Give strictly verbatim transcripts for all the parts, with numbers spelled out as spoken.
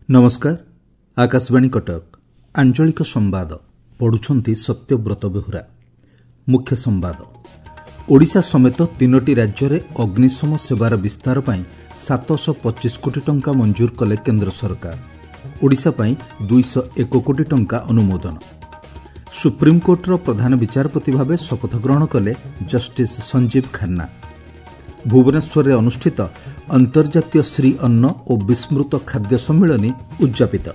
ନମସ୍କାର ଆକାଶବାଣୀ କଟକ ଆଞ୍ଚଳିକ ସମ୍ବାଦ ପଢୁଛନ୍ତି ସତ୍ୟବ୍ରତ ବେହୁରା ମୁଖ୍ୟ ସମ୍ବାଦ ଓଡ଼ିଶା ସମେତ ତିନୋଟି ରାଜ୍ୟରେ ଅଗ୍ନିଶମ ସେବାର ବିସ୍ତାର ପାଇଁ ସାତଶହ ପଚିଶ କୋଟି ଟଙ୍କା ମଞ୍ଜୁର କଲେ କେନ୍ଦ୍ର ସରକାର ଓଡ଼ିଶା ପାଇଁ ଦୁଇଶହ ଏକ କୋଟି ଟଙ୍କା ଅନୁମୋଦନ ସୁପ୍ରିମକୋର୍ଟର ପ୍ରଧାନ ବିଚାରପତି ଭାବେ ଶପଥ ଗ୍ରହଣ କଲେ ଜଷ୍ଟିସ୍ ସଞ୍ଜୀବ ଖାନ୍ନା ଭୁବନେଶ୍ୱରରେ ଅନୁଷ୍ଠିତ ଅନ୍ତର୍ଜାତୀୟ ଶ୍ରୀ ଅନ୍ନ ଓ ବିସ୍ମୃତ ଖାଦ୍ୟ ସମ୍ମିଳନୀ ଉଦ୍ଯାପିତ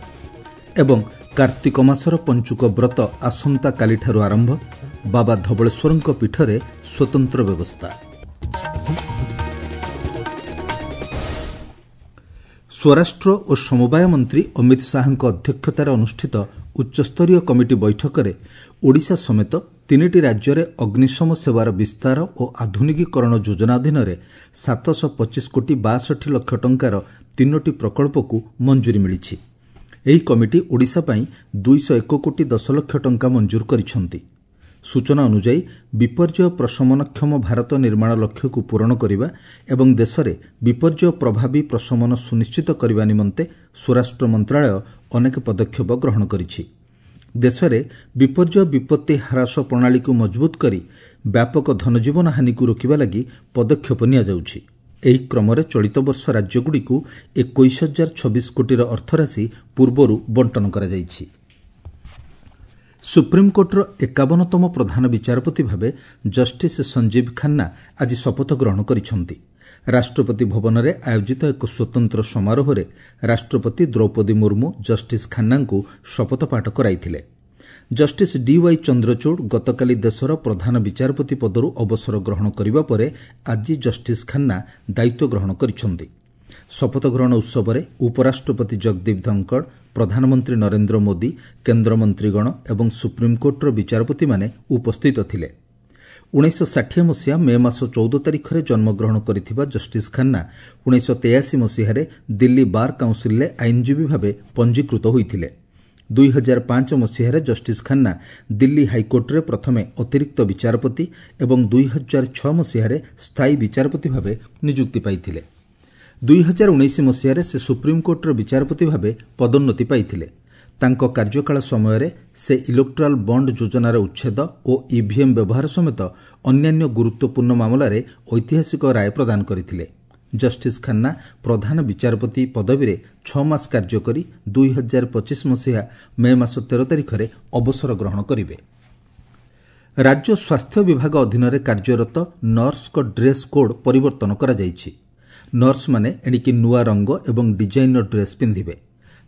ଏବଂ କାର୍ତ୍ତିକ ମାସର ପଞ୍ଚୁକ ବ୍ରତ ଆସନ୍ତାକାଲିଠାରୁ ଆରମ୍ଭ ବାବା ଧବଳେଶ୍ୱରଙ୍କ ପୀଠରେ ସ୍ୱତନ୍ତ୍ର ବ୍ୟବସ୍ଥା ସ୍ୱରାଷ୍ଟ୍ର ଓ ସମବାୟ ମନ୍ତ୍ରୀ ଅମିତ ଶାହାଙ୍କ ଅଧ୍ୟକ୍ଷତାରେ ଅନୁଷ୍ଠିତ ଉଚ୍ଚସ୍ତରୀୟ କମିଟି ବୈଠକରେ ଓଡ଼ିଶା ସମେତ ତିନିଟି ରାଜ୍ୟରେ ଅଗ୍ନିଶମ ସେବାର ବିସ୍ତାର ଓ ଆଧୁନିକୀକରଣ ଯୋଜନା ଅଧୀନରେ ସାତଶହ ପଚିଶ କୋଟି ବାଷଠି ଲକ୍ଷ ଟଙ୍କାର ତିନୋଟି ପ୍ରକଳ୍ପକୁ ମଞ୍ଜୁରୀ ମିଳିଛି ଏହି କମିଟି ଓଡ଼ିଶା ପାଇଁ ଦୁଇଶହ ଏକ କୋଟି ଦଶ ଲକ୍ଷ ଟଙ୍କା ମଞ୍ଜୁର କରିଛନ୍ତି ସୂଚନା ଅନୁଯାୟୀ ବିପର୍ଯ୍ୟୟ ପ୍ରଶମନକ୍ଷମ ଭାରତ ନିର୍ମାଣ ଲକ୍ଷ୍ୟକୁ ପୂରଣ କରିବା ଏବଂ ଦେଶରେ ବିପର୍ଯ୍ୟୟ ପ୍ରଭାବୀ ପ୍ରଶମନ ସୁନିଶ୍ଚିତ କରିବା ନିମନ୍ତେ ସ୍ୱରାଷ୍ଟ୍ର ମନ୍ତ୍ରଣାଳୟ ଅନେକ ପଦକ୍ଷେପ ଗ୍ରହଣ କରିଛି ଦେଶରେ ବିପର୍ଯ୍ୟୟ ବିପତ୍ତି ହ୍ରାସ ପ୍ରଣାଳୀକୁ ମଜବୁତ କରି ବ୍ୟାପକ ଧନଜୀବନ ହାନିକୁ ରୋକିବା ଲାଗି ପଦକ୍ଷେପ ନିଆଯାଉଛି ଏହି କ୍ରମରେ ଚଳିତ ବର୍ଷ ରାଜ୍ୟଗୁଡ଼ିକୁ ଏକୋଇଶ ହଜାର ଛବିଶ କୋଟିର ଅର୍ଥରାଶି ପୂର୍ବରୁ ବଣ୍ଟନ କରାଯାଇଛି ସୁପ୍ରିମକୋର୍ଟର ଏକାବନତମ ପ୍ରଧାନ ବିଚାରପତି ଭାବେ ଜଷ୍ଟିସ୍ ସଞ୍ଜୀବ ଖାନ୍ନା ଆଜି ଶପଥ ଗ୍ରହଣ କରିଛନ୍ତି ରାଷ୍ଟ୍ରପତି ଭବନରେ ଆୟୋଜିତ ଏକ ସ୍ୱତନ୍ତ୍ର ସମାରୋହରେ ରାଷ୍ଟ୍ରପତି ଦ୍ରୌପଦୀ ମୁର୍ମୁ ଜଷ୍ଟିସ୍ ଖାନ୍ନାଙ୍କୁ ଶପଥପାଠ କରାଇଥିଲେ ଜଷ୍ଟିସ୍ ଡିୱାଇ ଚନ୍ଦ୍ରଚୂଡ଼ ଗତକାଲି ଦେଶର ପ୍ରଧାନ ବିଚାରପତି ପଦରୁ ଅବସର ଗ୍ରହଣ କରିବା ପରେ ଆଜି ଜଷ୍ଟିସ୍ ଖାନ୍ନା ଦାୟିତ୍ୱ ଗ୍ରହଣ କରିଛନ୍ତି ଶପଥ ଗ୍ରହଣ ଉତ୍ସବରେ ଉପରାଷ୍ଟ୍ରପତି ଜଗଦୀପ ଧନଖଡ଼ ପ୍ରଧାନମନ୍ତ୍ରୀ ନରେନ୍ଦ୍ର ମୋଦି କେନ୍ଦ୍ରମନ୍ତ୍ରୀଗଣ ଏବଂ ସୁପ୍ରିମକୋର୍ଟର ବିଚାରପତିମାନେ ଉପସ୍ଥିତ ଥିଲେ ଉଣେଇଶହ ଷାଠିଏ ମସିହା ମେ ମାସ ଚଉଦ ତାରିଖରେ ଜନ୍ମଗ୍ରହଣ କରିଥିବା ଜଷ୍ଟିସ୍ ଖାନ୍ନା ଉଣେଇଶହ ତେୟାଅଶୀ ମସିହାରେ ଦିଲ୍ଲୀ ବାର୍ କାଉନ୍ସିଲ୍ରେ ଆଇନଜୀବୀ ଭାବେ ପଞ୍ଜୀକୃତ ହୋଇଥିଲେ ଦୁଇ ହଜାର ପାଞ୍ଚ ମସିହାରେ ଜଷ୍ଟିସ୍ ଖାନ୍ନା ଦିଲ୍ଲୀ ହାଇକୋର୍ଟରେ ପ୍ରଥମେ ଅତିରିକ୍ତ ବିଚାରପତି ଏବଂ ଦୁଇ ହଜାର ଛଅ ମସିହାରେ ସ୍ଥାୟୀ ବିଚାରପତି ଭାବେ ନିଯୁକ୍ତି ପାଇଥିଲେ ଦୁଇ ହଜାର ଉଣେଇଶ ମସିହାରେ ସେ ସୁପ୍ରିମକୋର୍ଟର ବିଚାରପତି ଭାବେ ପଦୋନ୍ନତି ପାଇଥିଲେ ତାଙ୍କ କାର୍ଯ୍ୟକାଳ ସମୟରେ ସେ ଇଲେକ୍ଟ୍ରାଲ୍ ବଣ୍ଡ ଯୋଜନାର ଉଚ୍ଛେଦ ଓ ଇଭିଏମ୍ ବ୍ୟବହାର ସମେତ ଅନ୍ୟାନ୍ୟ ଗୁରୁତ୍ୱପୂର୍ଣ୍ଣ ମାମଲାରେ ଐତିହାସିକ ରାୟ ପ୍ରଦାନ କରିଥିଲେ ଜଷ୍ଟିସ୍ ଖାନ୍ନା ପ୍ରଧାନ ବିଚାରପତି ପଦବୀରେ ଛଅ ମାସ କାର୍ଯ୍ୟ କରି ଦୁଇ ହଜାର ପଚିଶ ମସିହା ମେ ମାସ ତେର ତାରିଖରେ ଅବସର ଗ୍ରହଣ କରିବେ ରାଜ୍ୟ ସ୍ୱାସ୍ଥ୍ୟ ବିଭାଗ ଅଧୀନରେ କାର୍ଯ୍ୟରତ ନର୍ସଙ୍କ ଡ୍ରେସ୍ କୋଡ୍ ପରିବର୍ତ୍ତନ କରାଯାଇଛି ନର୍ସମାନେ ଏଣିକି ନୂଆ ରଙ୍ଗ ଏବଂ ଡିଜାଇନ୍ର ଡ୍ରେସ୍ ପିନ୍ଧିବେ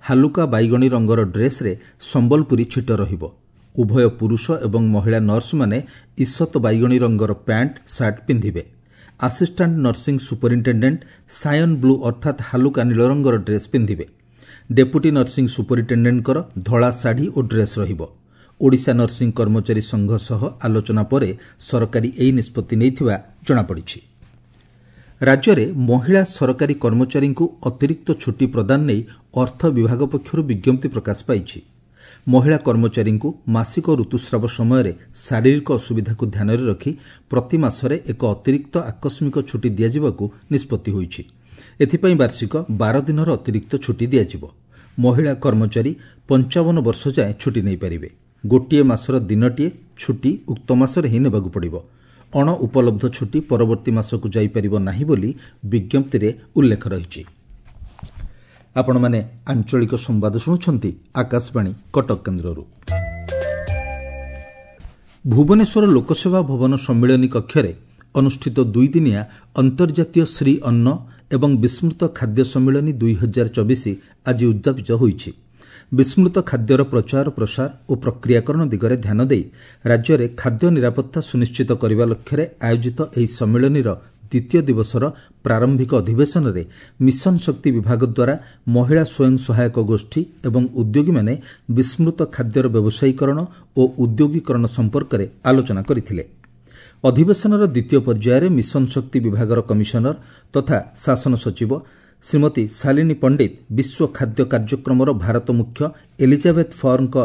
ହାଲୁକା ବାଇଗଣୀ ରଙ୍ଗର ଡ୍ରେସ୍ରେ ସମ୍ବଲପୁରୀ ଛିଟ ରହିବ ଉଭୟ ପୁରୁଷ ଏବଂ ମହିଳା ନର୍ସମାନେ ଈଷତ ବାଇଗଣୀ ରଙ୍ଗର ପ୍ୟାଣ୍ଟ ସାର୍ଟ ପିନ୍ଧିବେ assistant nursing superintendent cyan blue ଅର୍ଥାତ୍ ହାଲୁକା ନୀଳ ରଙ୍ଗର ଡ୍ରେସ୍ ପିନ୍ଧିବେ ଡେପୁଟି ନର୍ସିଂ ସୁପରିଟେଣ୍ଡେଣ୍ଟଙ୍କର ଧଳା ଶାଢ଼ୀ ଓ ଡ୍ରେସ୍ ରହିବ ଓଡ଼ିଶା ନର୍ସିଂ କର୍ମଚାରୀ ସଂଘ ସହ ଆଲୋଚନା ପରେ ସରକାରୀ ଏହି ନିଷ୍ପତ୍ତି ନେଇଥିବା ଜଣାପଡ଼ିଛି ରାଜ୍ୟରେ ମହିଳା ସରକାରୀ କର୍ମଚାରୀଙ୍କୁ ଅତିରିକ୍ତ ଛୁଟି ପ୍ରଦାନ ନେଇ ଅର୍ଥ ବିଭାଗ ପକ୍ଷରୁ ବିଜ୍ଞପ୍ତି ପ୍ରକାଶ ପାଇଛି ମହିଳା କର୍ମଚାରୀଙ୍କୁ ମାସିକ ଋତୁସ୍ରାବ ସମୟରେ ଶାରୀରିକ ଅସୁବିଧାକୁ ଧ୍ୟାନରେ ରଖି ପ୍ରତି ମାସରେ ଏକ ଅତିରିକ୍ତ ଆକସ୍ମିକ ଛୁଟି ଦିଆଯିବାକୁ ନିଷ୍ପତ୍ତି ହୋଇଛି ଏଥିପାଇଁ ବାର୍ଷିକ ବାର ଦିନର ଅତିରିକ୍ତ ଛୁଟି ଦିଆଯିବ ମହିଳା କର୍ମଚାରୀ ପଞ୍ଚାବନ ବର୍ଷ ଯାଏଁ ଛୁଟି ନେଇପାରିବେ ଗୋଟିଏ ମାସର ଦିନଟିଏ ଛୁଟି ଉକ୍ତ ମାସରେ ହିଁ ନେବାକୁ ପଡ଼ିବ ଅଣ ଉପଲବ୍ଧ ଛୁଟି ପରବର୍ତ୍ତୀ ମାସକୁ ଯାଇପାରିବ ନାହିଁ ବୋଲି ବିଜ୍ଞପ୍ତିରେ ଉଲ୍ଲେଖ ରହିଛି ଆପଣମାନେ ଆଞ୍ଚଳିକ ସମ୍ବାଦ ଶୁଣୁଛନ୍ତି ଆକାଶବାଣୀ କଟକ କେନ୍ଦ୍ରରୁ ଭୁବନେଶ୍ୱର ଲୋକସେବା ଭବନ ସମ୍ମିଳନୀ କକ୍ଷରେ ଅନୁଷ୍ଠିତ ଦୁଇଦିନିଆ ଅନ୍ତର୍ଜାତୀୟ ଶ୍ରୀ ଅନ୍ନ ଏବଂ ବିସ୍ମୃତ ଖାଦ୍ୟ ସମ୍ମିଳନୀ ଦୁଇ ହଜାର ଚବିଶ ଆଜି ଉଦ୍ଯାପିତ ହୋଇଛି ବିସ୍ମୃତ ଖାଦ୍ୟର ପ୍ରଚାର ପ୍ରସାର ଓ ପ୍ରକ୍ରିୟାକରଣ ଦିଗରେ ଧ୍ୟାନ ଦେଇ ରାଜ୍ୟରେ ଖାଦ୍ୟ ନିରାପତ୍ତା ସୁନିଶ୍ଚିତ କରିବା ଲକ୍ଷ୍ୟରେ ଆୟୋଜିତ ଏହି ସମ୍ମିଳନୀର ଦ୍ୱିତୀୟ ଦିବସର ପ୍ରାରମ୍ଭିକ ଅଧିବେଶନରେ ମିଶନ ଶକ୍ତି ବିଭାଗ ଦ୍ୱାରା ମହିଳା ସ୍ୱୟଂ ସହାୟକ ଗୋଷ୍ଠୀ ଏବଂ ଉଦ୍ୟୋଗୀମାନେ ବିସ୍ମୃତ ଖାଦ୍ୟର ବ୍ୟବସାୟୀକରଣ ଓ ଉଦ୍ୟୋଗୀକରଣ ସମ୍ପର୍କରେ ଆଲୋଚନା କରିଥିଲେ ଅଧିବେଶନର ଦ୍ୱିତୀୟ ପର୍ଯ୍ୟାୟରେ ମିଶନ ଶକ୍ତି ବିଭାଗର କମିଶନର ତଥା ଶାସନ ସଚିବ ଶ୍ରୀମତୀ ଶାଲିନୀ ପଣ୍ଡିତ ବିଶ୍ୱ ଖାଦ୍ୟ କାର୍ଯ୍ୟକ୍ରମର ଭାରତ ମୁଖ୍ୟ ଏଲିଜାବେଥ୍ ଫର୍ଙ୍କ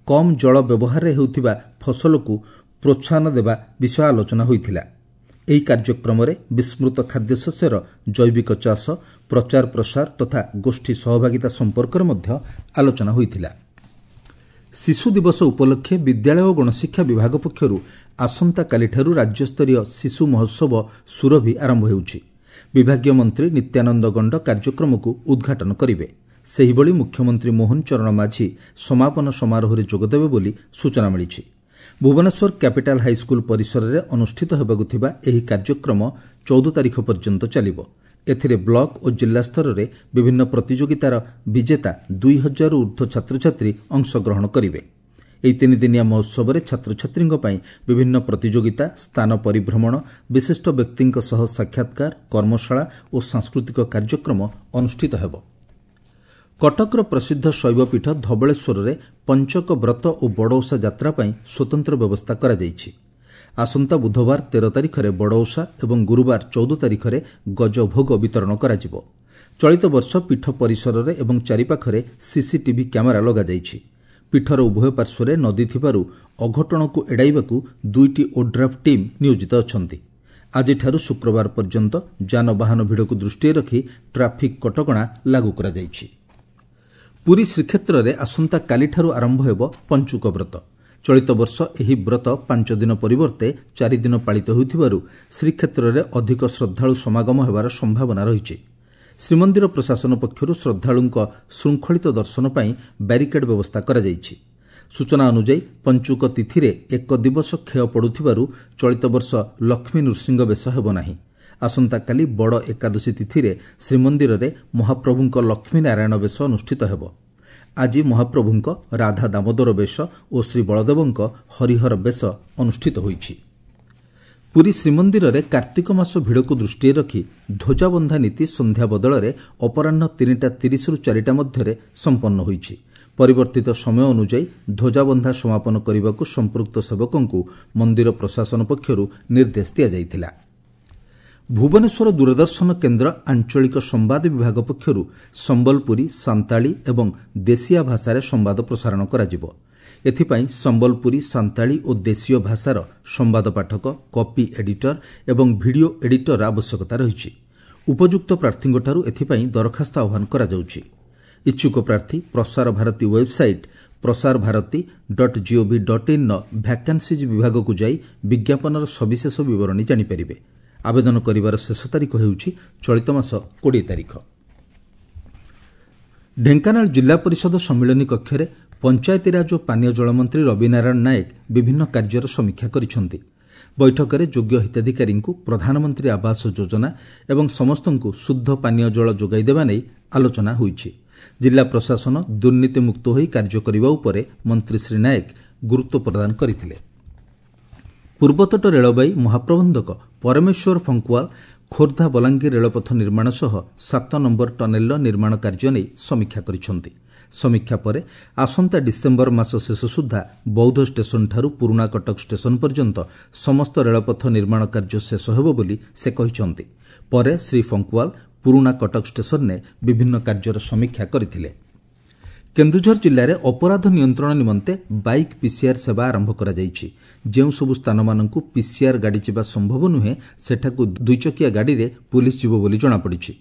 କମ୍ ଜଳ ବ୍ୟବହାରରେ ହେଉଥିବା ଫସଲକୁ ପ୍ରୋତ୍ସାହନ ଦେବା ବିଷୟ ଆଲୋଚନା ହୋଇଥିଲା ଏହି କାର୍ଯ୍ୟକ୍ରମରେ ବିସ୍ମୃତ ଖାଦ୍ୟଶସ୍ୟର ଜୈବିକ ଚାଷ, ପ୍ରଚାର ପ୍ରସାର ତଥା ଗୋଷ୍ଠୀ ସହଭାଗିତା ସମ୍ପର୍କରେ ମଧ୍ୟ ଆଲୋଚନା ହୋଇଥିଲା। ଶିଶୁ ଦିବସ ଉପଲକ୍ଷେ ବିଦ୍ୟାଳୟ ଓ ଗଣଶିକ୍ଷା ବିଭାଗ ପକ୍ଷରୁ ଆସନ୍ତାକାଲିଠାରୁ ରାଜ୍ୟସ୍ତରୀୟ ଶିଶୁ ମହୋତ୍ସବ ସୁରଭି ଆରମ୍ଭ ହେଉଛି। ବିଭାଗୀୟ ମନ୍ତ୍ରୀ ନିତ୍ୟାନନ୍ଦ ଗଣ୍ଡ କାର୍ଯ୍ୟକ୍ରମକୁ ଉଦ୍ଘାଟନ କରିବେ। ସେହିଭଳି ମୁଖ୍ୟମନ୍ତ୍ରୀ ମୋହନ ଚରଣ ମାଝୀ ସମାପନ ସମାରୋହରେ ଯୋଗଦେବେ ବୋଲି ସୂଚନା ମିଳିଛି। ଭୁବନେଶ୍ୱର କ୍ୟାପିଟାଲ ହାଇସ୍କୁଲ ପରିସରରେ ଅନୁଷ୍ଠିତ ହେବାକୁ ଥିବା ଏହି କାର୍ଯ୍ୟକ୍ରମ ଚଉଦ ତାରିଖ ପର୍ଯ୍ୟନ୍ତ ଚାଲିବ। ଏଥିରେ ବ୍ଲକ ଓ ଜିଲ୍ଲା ସ୍ତରରେ ବିଭିନ୍ନ ପ୍ରତିଯୋଗିତାର ବିଜେତା ଦୁଇ ହଜାରରୁ ଉର୍ଦ୍ଧ୍ୱ ଛାତ୍ରଛାତ୍ରୀ ଅଂଶଗ୍ରହଣ କରିବେ। ଏହି ତିନିଦିନିଆ ମହୋତ୍ସବରେ ଛାତ୍ରଛାତ୍ରୀଙ୍କ ପାଇଁ ବିଭିନ୍ନ ପ୍ରତିଯୋଗିତା, ସ୍ଥାନ ପରିଭ୍ରମଣ, ବିଶିଷ୍ଟ ବ୍ୟକ୍ତିଙ୍କ ସହ ସାକ୍ଷାତକାର, କର୍ମଶାଳା ଓ ସାଂସ୍କୃତିକ କାର୍ଯ୍ୟକ୍ରମ ଅନୁଷ୍ଠିତ ହେବ। କଟକର ପ୍ରସିଦ୍ଧ ଶୈବପୀଠ ଧବଳେଶ୍ୱରରେ ପଞ୍ଚକ ବ୍ରତ ଓ ବଡ଼ଓଷା ଯାତ୍ରା ପାଇଁ ସ୍ୱତନ୍ତ୍ର ବ୍ୟବସ୍ଥା କରାଯାଇଛି। ଆସନ୍ତା ବୁଧବାର ତେର ତାରିଖରେ ବଡ଼ଓଷା ଏବଂ ଗୁରୁବାର ଚଉଦ ତାରିଖରେ ଗଜଭୋଗ ବିତରଣ କରାଯିବ। ଚଳିତ ବର୍ଷ ପୀଠ ପରିସରରେ ଏବଂ ଚାରିପାଖରେ ସିସିଟିଭି କ୍ୟାମେରା ଲଗାଯାଇଛି। ପୀଠର ଉଭୟ ପାର୍ଶ୍ୱରେ ନଦୀ ଥିବାରୁ ଅଘଟଣକୁ ଏଡ଼ାଇବାକୁ ଦୁଇଟି ଓଡ୍ରାଫ୍ ଟିମ୍ ନିୟୋଜିତ ଅଛନ୍ତି। ଆଜିଠାରୁ ଶୁକ୍ରବାର ପର୍ଯ୍ୟନ୍ତ ଯାନବାହନ ଭିଡ଼କୁ ଦୃଷ୍ଟିରେ ରଖି ଟ୍ରାଫିକ୍ କଟକଣା ଲାଗୁ କରାଯାଇଛି। ପୁରୀ ଶ୍ରୀକ୍ଷେତ୍ରରେ ଆସନ୍ତାକାଲିଠାରୁ ଆରମ୍ଭ ହେବ ପଞ୍ଚୁକ ବ୍ରତ। ଚଳିତ ବର୍ଷ ଏହି ବ୍ରତ ପାଞ୍ଚ ଦିନ ପରିବର୍ତ୍ତେ ଚାରିଦିନ ପାଳିତ ହେଉଥିବାରୁ ଶ୍ରୀକ୍ଷେତ୍ରରେ ଅଧିକ ଶ୍ରଦ୍ଧାଳୁ ସମାଗମ ହେବାର ସମ୍ଭାବନା ରହିଛି। ଶ୍ରୀମନ୍ଦିର ପ୍ରଶାସନ ପକ୍ଷରୁ ଶ୍ରଦ୍ଧାଳୁଙ୍କ ଶୃଙ୍ଖଳିତ ଦର୍ଶନ ପାଇଁ ବ୍ୟାରିକେଡ୍ ବ୍ୟବସ୍ଥା କରାଯାଇଛି। ସୂଚନା ଅନୁଯାୟୀ ପଞ୍ଚୁକ ତିଥିରେ ଏକ ଦିବସ କ୍ଷୟ ପଡ଼ୁଥିବାରୁ ଚଳିତ ବର୍ଷ ଲକ୍ଷ୍ମୀ ନୃସିଂହ ବେଶ ହେବ ନାହିଁ। ଆସନ୍ତାକାଲି ବଡ଼ ଏକାଦଶୀ ତିଥିରେ ଶ୍ରୀମନ୍ଦିରରେ ମହାପ୍ରଭୁଙ୍କ ଲକ୍ଷ୍ମୀନାରାୟଣ ବେଶ ଅନୁଷ୍ଠିତ ହେବ। ଆଜି ମହାପ୍ରଭୁଙ୍କ ରାଧା ଦାମୋଦର ବେଶ ଓ ଶ୍ରୀବଳଦେବଙ୍କ ହରିହର ବେଶ ଅନୁଷ୍ଠିତ ହୋଇଛି। ପୁରୀ ଶ୍ରୀମନ୍ଦିରରେ କାର୍ତ୍ତିକ ମାସ ଭିଡ଼କୁ ଦୃଷ୍ଟିରେ ରଖି ଧ୍ୱଜାବନ୍ଧା ନୀତି ସନ୍ଧ୍ୟା ବଦଳରେ ଅପରାହ୍ନ ତିନିଟା ତିରିଶରୁ ଚାରିଟା ମଧ୍ୟରେ ସମ୍ପନ୍ନ ହୋଇଛି। ପରିବର୍ତ୍ତିତ ସମୟ ଅନୁଯାୟୀ ଧ୍ୱଜାବନ୍ଧା ସମାପନ କରିବାକୁ ସମ୍ପୃକ୍ତ ସେବକଙ୍କୁ ମନ୍ଦିର ପ୍ରଶାସନ ପକ୍ଷରୁ ନିର୍ଦ୍ଦେଶ ଦିଆଯାଇଥିଲା। ଭୁବନେଶ୍ୱର ଦୂରଦର୍ଶନ କେନ୍ଦ୍ର ଆଞ୍ଚଳିକ ସମ୍ବାଦ ବିଭାଗ ପକ୍ଷରୁ ସମ୍ବଲପୁରୀ, ସାନ୍ତାଳୀ ଏବଂ ଦେଶିଆ ଭାଷାରେ ସମ୍ବାଦ ପ୍ରସାରଣ କରାଯିବ। ଏଥିପାଇଁ ସମ୍ବଲପୁରୀ, ସାନ୍ତାଳୀ ଓ ଦେଶୀୟ ଭାଷାର ସମ୍ବାଦ ପାଠକ, କପି ଏଡିଟର ଏବଂ ଭିଡ଼ିଓ ଏଡିଟର ଆବଶ୍ୟକତା ରହିଛି। ଉପଯୁକ୍ତ ପ୍ରାର୍ଥୀଙ୍କଠାରୁ ଏଥିପାଇଁ ଦରଖାସ୍ତ ଆହ୍ୱାନ କରାଯାଉଛି। ଇଚ୍ଛୁକ ପ୍ରାର୍ଥୀ Prasar Bharati website Prasar Bharati dot gov dot ଇନ୍ର vacancies ବିଭାଗକୁ ଯାଇ ବିଜ୍ଞାପନର ସବିଶେଷ ବିବରଣୀ ଜାଣିପାରିବେ। ଆବେଦନ କରିବାର ଶେଷ ତାରିଖ ହେଉଛି ଚଳିତ ମାସ କୋଡ଼ିଏ ତାରିଖ। ଢେଙ୍କାନାଳ ଜିଲ୍ଲା ପରିଷଦ ସମ୍ମିଳନୀ କକ୍ଷରେ ପଞ୍ଚାୟତିରାଜ ଓ ପାନୀୟ ଜଳମନ୍ତ୍ରୀ ରବିନାରାୟଣ ନାୟକ ବିଭିନ୍ନ କାର୍ଯ୍ୟର ସମୀକ୍ଷା କରିଛନ୍ତି। ବୈଠକରେ ଯୋଗ୍ୟ ହିତାଧିକାରୀଙ୍କୁ ପ୍ରଧାନମନ୍ତ୍ରୀ ଆବାସ ଯୋଜନା ଏବଂ ସମସ୍ତଙ୍କୁ ଶୁଦ୍ଧ ପାନୀୟ ଜଳ ଯୋଗାଇ ଦେବା ନେଇ ଆଲୋଚନା ହୋଇଛି। ଜିଲ୍ଲା ପ୍ରଶାସନ ଦୁର୍ନୀତିମୁକ୍ତ ହୋଇ କାର୍ଯ୍ୟ କରିବା ଉପରେ ମନ୍ତ୍ରୀ ଶ୍ରୀ ନାୟକ ଗୁରୁତ୍ୱ ପ୍ରଦାନ କରିଥିଲେ। ପୂର୍ବତଟ ରେଳବାଇ ମହାପ୍ରବନ୍ଧକ ପରମେଶ୍ୱର ଫଙ୍କୁଆଲ ଖୋର୍ଦ୍ଧା ବଲାଙ୍ଗୀର ରେଳପଥ ନିର୍ମାଣ ସହ ସାତ ନମ୍ବର ଟନେଲର ନିର୍ମାଣ କାର୍ଯ୍ୟ ନେଇ ସମୀକ୍ଷା କରିଛନ୍ତି। ସମୀକ୍ଷା ପରେ ଆସନ୍ତା ଡିସେମ୍ବର ମାସ ଶେଷ ସୁଦ୍ଧା ବୌଦ୍ଧ ଷ୍ଟେସନଠାରୁ ପୁରୁଣା କଟକ ଷ୍ଟେସନ ପର୍ଯ୍ୟନ୍ତ ସମସ୍ତ ରେଳପଥ ନିର୍ମାଣ କାର୍ଯ୍ୟ ଶେଷ ହେବ ବୋଲି ସେ କହିଛନ୍ତି। ପରେ ଶ୍ରୀ ଫଙ୍କୁଆଲ ପୁରୁଣା କଟକ ଷ୍ଟେସନରେ ବିଭିନ୍ନ କାର୍ଯ୍ୟର ସମୀକ୍ଷା କରିଥିଲେ। କେନ୍ଦୁଝର ଜିଲ୍ଲାରେ ଅପରାଧ ନିୟନ୍ତ୍ରଣ ନିମନ୍ତେ ବାଇକ୍ ପିସିଆର୍ ସେବା ଆରମ୍ଭ କରାଯାଇଛି। ଯେଉଁସବୁ ସ୍ଥାନମାନଙ୍କୁ ପିସିଆର୍ ଗାଡ଼ି ଯିବା ସମ୍ଭବ ନୁହେଁ, ସେଠାକୁ ଦୁଇଚକିଆ ଗାଡ଼ିରେ ପୁଲିସ୍ ଯିବ ବୋଲି ଜଣାପଡ଼ିଛି।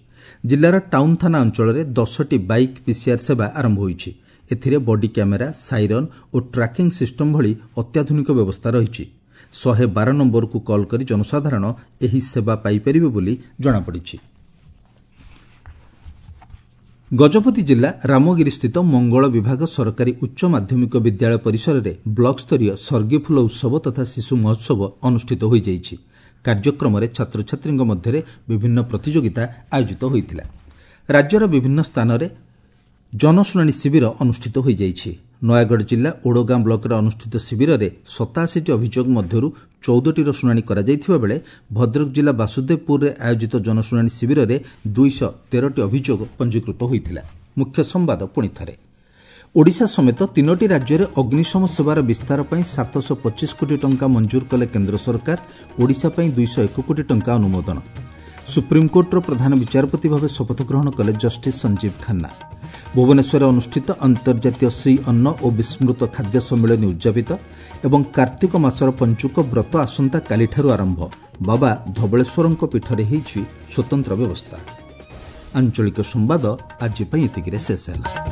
ଜିଲ୍ଲାର ଟାଉନ୍ ଥାନା ଅଞ୍ଚଳରେ ଦଶଟି ବାଇକ୍ ପିସିଆର୍ ସେବା ଆରମ୍ଭ ହୋଇଛି। ଏଥିରେ ବଡି କ୍ୟାମେରା, ସାଇରନ୍ ଓ ଟ୍ରାକିଂ ସିଷ୍ଟମ୍ ଭଳି ଅତ୍ୟାଧୁନିକ ବ୍ୟବସ୍ଥା ରହିଛି। ଶହେ ବାର ନମ୍ବରକୁ କଲ୍ କରି ଜନସାଧାରଣ ଏହି ସେବା ପାଇପାରିବେ ବୋଲି ଜଣାପଡ଼ିଛି। ଗଜପତି ଜିଲ୍ଲା ରାମଗିରିସ୍ଥିତ ମଙ୍ଗଳ ବିଭାଗ ସରକାରୀ ଉଚ୍ଚ ମାଧ୍ୟମିକ ବିଦ୍ୟାଳୟ ପରିସରରେ ବ୍ଲକସ୍ତରୀୟ ସର୍ଗିଫୁଲ ଉତ୍ସବ ତଥା ଶିଶୁ ମହୋତ୍ସବ ଅନୁଷ୍ଠିତ ହୋଇଯାଇଛି। କାର୍ଯ୍ୟକ୍ରମରେ ଛାତ୍ରଛାତ୍ରୀଙ୍କ ମଧ୍ୟରେ ବିଭିନ୍ନ ପ୍ରତିଯୋଗିତା ଆୟୋଜିତ ହୋଇଥିଲା। ରାଜ୍ୟର ବିଭିନ୍ନ ସ୍ଥାନରେ ଜନଶୁଣାଣି ଶିବିର ଅନୁଷ୍ଠିତ ହୋଇଯାଇଛି। ନୟାଗଡ଼ ଜିଲ୍ଲା ଓଡ଼ଗାଁ ବ୍ଲକରେ ଅନୁଷ୍ଠିତ ଶିବିରରେ ସତାଅଶୀଟି ଅଭିଯୋଗ ମଧ୍ୟରୁ ଚଉଦଟିର ଶୁଣାଣି କରାଯାଇଥିବା ବେଳେ ଭଦ୍ରକ ଜିଲ୍ଲା ବାସୁଦେବପୁରରେ ଆୟୋଜିତ ଜନଶୁଣାଣି ଶିବିରରେ ଦୁଇଶହ ତେରଟି ଅଭିଯୋଗ ପଞ୍ଜୀକୃତ ହୋଇଥିଲା। ମୁଖ୍ୟ ସମ୍ବାଦ ପୁଣି ଥରେ। ଓଡ଼ିଶା ସମେତ ତିନୋଟି ରାଜ୍ୟରେ ଅଗ୍ନିଶମ ସେବାର ବିସ୍ତାର ପାଇଁ ସାତଶହ ପଚିଶ କୋଟି ଟଙ୍କା ମଞ୍ଜୁର କଲେ କେନ୍ଦ୍ର ସରକାର। ଓଡ଼ିଶା ପାଇଁ ଦୁଇଶହ ଏକ କୋଟି ଟଙ୍କା ଅନୁମୋଦନ। ସୁପ୍ରିମକୋର୍ଟର ପ୍ରଧାନ ବିଚାରପତି ଭାବେ ଶପଥ ଗ୍ରହଣ କଲେ ଜଷ୍ଟିସ୍ ସଞ୍ଜୀବ ଖାନ୍ନା। ଭୁବନେଶ୍ୱରରେ ଅନୁଷ୍ଠିତ ଅନ୍ତର୍ଜାତୀୟ ଶ୍ରୀ ଅନ୍ନ ଓ ବିସ୍ମୃତ ଖାଦ୍ୟ ସମ୍ମିଳନୀ ଉଦ୍ଯାପିତ ଏବଂ କାର୍ତ୍ତିକ ମାସର ପଞ୍ଚୁକ ବ୍ରତ ଆସନ୍ତାକାଲିଠାରୁ ଆରମ୍ଭ। ବାବା ଧବଳେଶ୍ୱରଙ୍କ ପୀଠରେ ହୋଇଛି ସ୍ୱତନ୍ତ୍ର ବ୍ୟବସ୍ଥା। ଆଞ୍ଚଳିକ ସମ୍ବାଦ ଆଜି ପାଇଁ ଏତିକିରେ ଶେଷ ହେଲା।